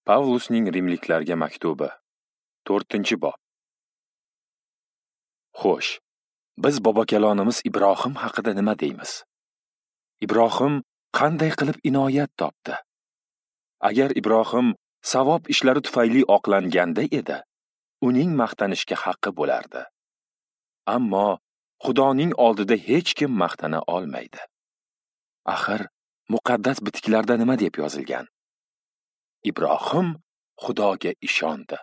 Pavlusning Rimliklarga maktubi, 4-bob. Xo'sh, biz bobokalonimiz Ibrohim haqida nima deymiz? Ibrohim qanday qilib inoyat topdi? Agar Ibrohim savob ishlari tufayli oqlanganda edi, uning maqtanishga haqqi bo'lardi. Ammo Xudoning oldida hech kim maqtana olmaydi. Axir muqaddas bitiklarda nima deb yozilgan? Ibrohim Xudoga ishondi.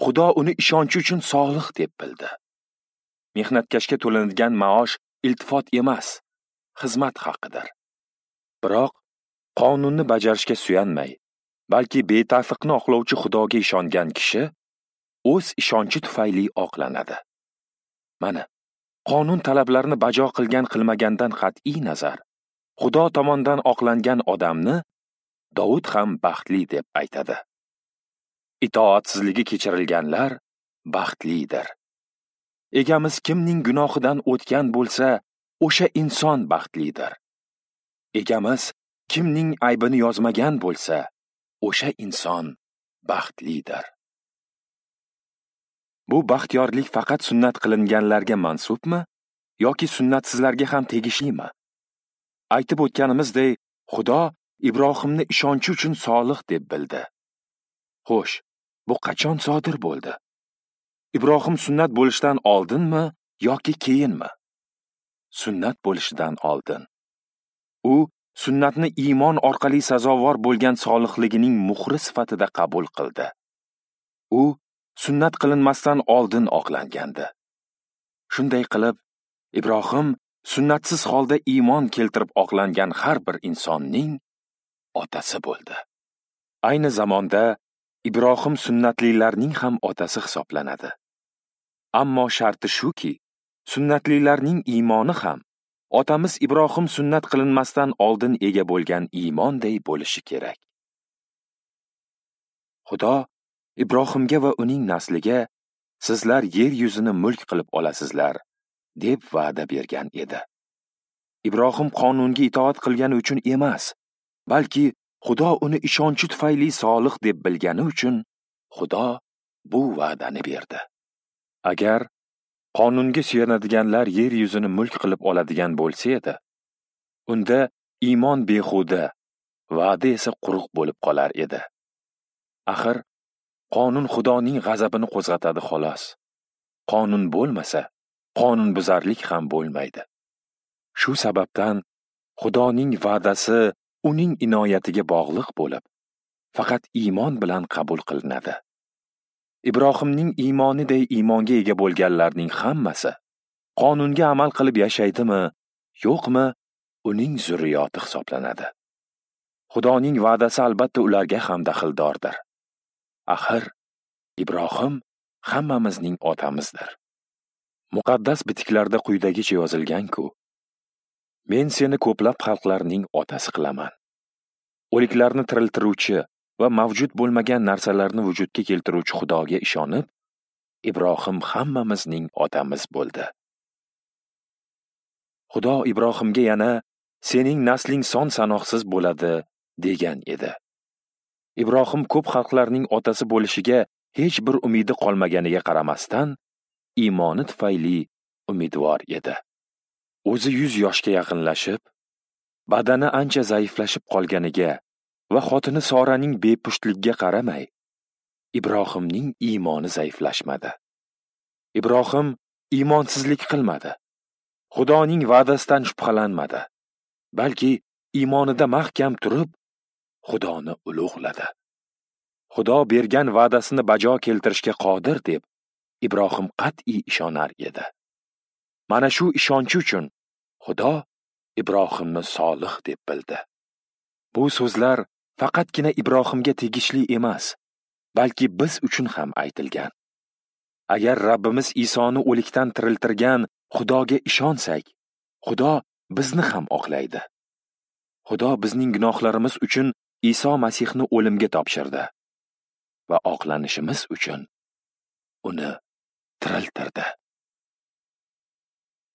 Xudo uni ishonchi uchun solih deb bildi. Mehnatkashga to'lanadigan maosh iltifot emas, xizmat haqidir. Biroq qonunni bajarishga suyanmay, balki betafiqni oqlovchi Xudoga ishongan kishi o'z ishonchi tufayli oqlanadi. Mana, qonun talablarini bajo qilgan qilmagandan qat'iy nazar, Xudo tomonidan oqlangan odamni Davud ham baxtli deb aytadi. Itoatsizligi kechirilganlar baxtlidir. Egamiz kimning gunohidan o'tgan bo'lsa, o'sha inson baxtlidir. Egamiz kimning aybini yozmagan bo'lsa, o'sha inson baxtlidir. Bu baxtiyorlik faqat sunnat qilinganlarga mansubmi yoki sunnatsizlarga ham tegishlimi? Aytib o'tganimizdek, Xudo Ibrohimni ishonchi uchun solih deb bildi. Xo'sh, bu qachon sodir bo'ldi? Ibrohim sunnat bo'lishdan oldinmi yoki keyinmi? Sunnat bo'lishidan oldin. U sunnatni iymon orqali sazovor bo'lgan solihligining muhri sifatida qabul qildi. U sunnat qilinmasdan oldin oqlangandi. Shunday qilib, Ibrohim sunnatsiz holda iymon keltirib oqlangan har bir insonning otasi bo'ldi. Ayni zamonda Ibrohim sunnatlilarning ham otasi hisoblanadi. Ammo sharti shuki, sunnatlilarning iymoni ham otamiz Ibrohim sunnat qilinmasdan oldin ega bo'lgan iymonday bo'lishi kerak. Xudo Ibrohimga va uning nasliga sizlar yer yuzini mulk qilib olasizlar deb va'da bergan edi. Ibrohim qonunga itoat qilgani uchun emas, balki Xudo uni ishonchi tufayli solih deb bilgani uchun Xudo bu va'dani berdi. Agar qonunga suyanadiganlar yer yuzini mulk qilib oladigan bo'lsa edi, unda iymon behuda, va'da esa quruq bo'lib qolar edi. Axir qonun Xudoning g'azabini qo'zg'atadi xolos. Qonun bo'lmasa, qonunbuzarlik ham bo'lmaydi. Shu sababdan Xudoning va'dasi uning inoyatiga bog'liq bo'lib, faqat iymon bilan qabul qilinadi. Ibrohimning iymoniday iymonga ega bo'lganlarning hammasi qonunga amal qilib yashaydimi, yo'qmi, uning zurriyoti hisoblanadi. Xudoning va'dasi albatta ularga ham daxldordir. Axir Ibrohim hammamizning otamizdir. Muqaddas bitiklarda quyidagicha yozilgan-ku: Men seni ko'plab xalqlarning otasi qilaman. O'liklarni tiriltiruvchi va mavjud bo'lmagan narsalarni vujudga keltiruvchi Xudoga ishonib, Ibrohim hammamizning otamiz bo'ldi. Xudo Ibrohimga yana sening nasling son sanoqsiz bo'ladi degan edi. Ibrohim ko'p xalqlarning otasi bo'lishiga hech bir umidi qolmaganiga qaramasdan, iymoni tufayli umidvor edi. O'zi 100 yoshga yaqinlashib, badani ancha zaiflashib qolganiga va xotini Soraning bepushtligiga qaramay, Ibrohimning iymoni zaiflashmadi. Ibrohim iymonsizlik qilmadi. Xudoning va'dasidan shubhalanmadi, balki iymonida mahkam turib, Xudoni ulug'ladi. Xudo bergan va'dasini bajo keltirishga qodir deb Ibrohim qat'iy ishonar edi. Mana shu ishonchi uchun Xudo Ibrohimni solih deb bildi. Bu so'zlar faqatgina Ibrohimga tegishli emas, balki biz uchun ham aytilgan. Agar Rabbimiz Isoni o'likdan tiriltirgan Xudoga ishonsak, Xudo bizni ham oqlaydi. Xudo bizning gunohlarimiz uchun Iso Masihni o'limga topshirdi va oqlanishimiz uchun uni tiriltirdi.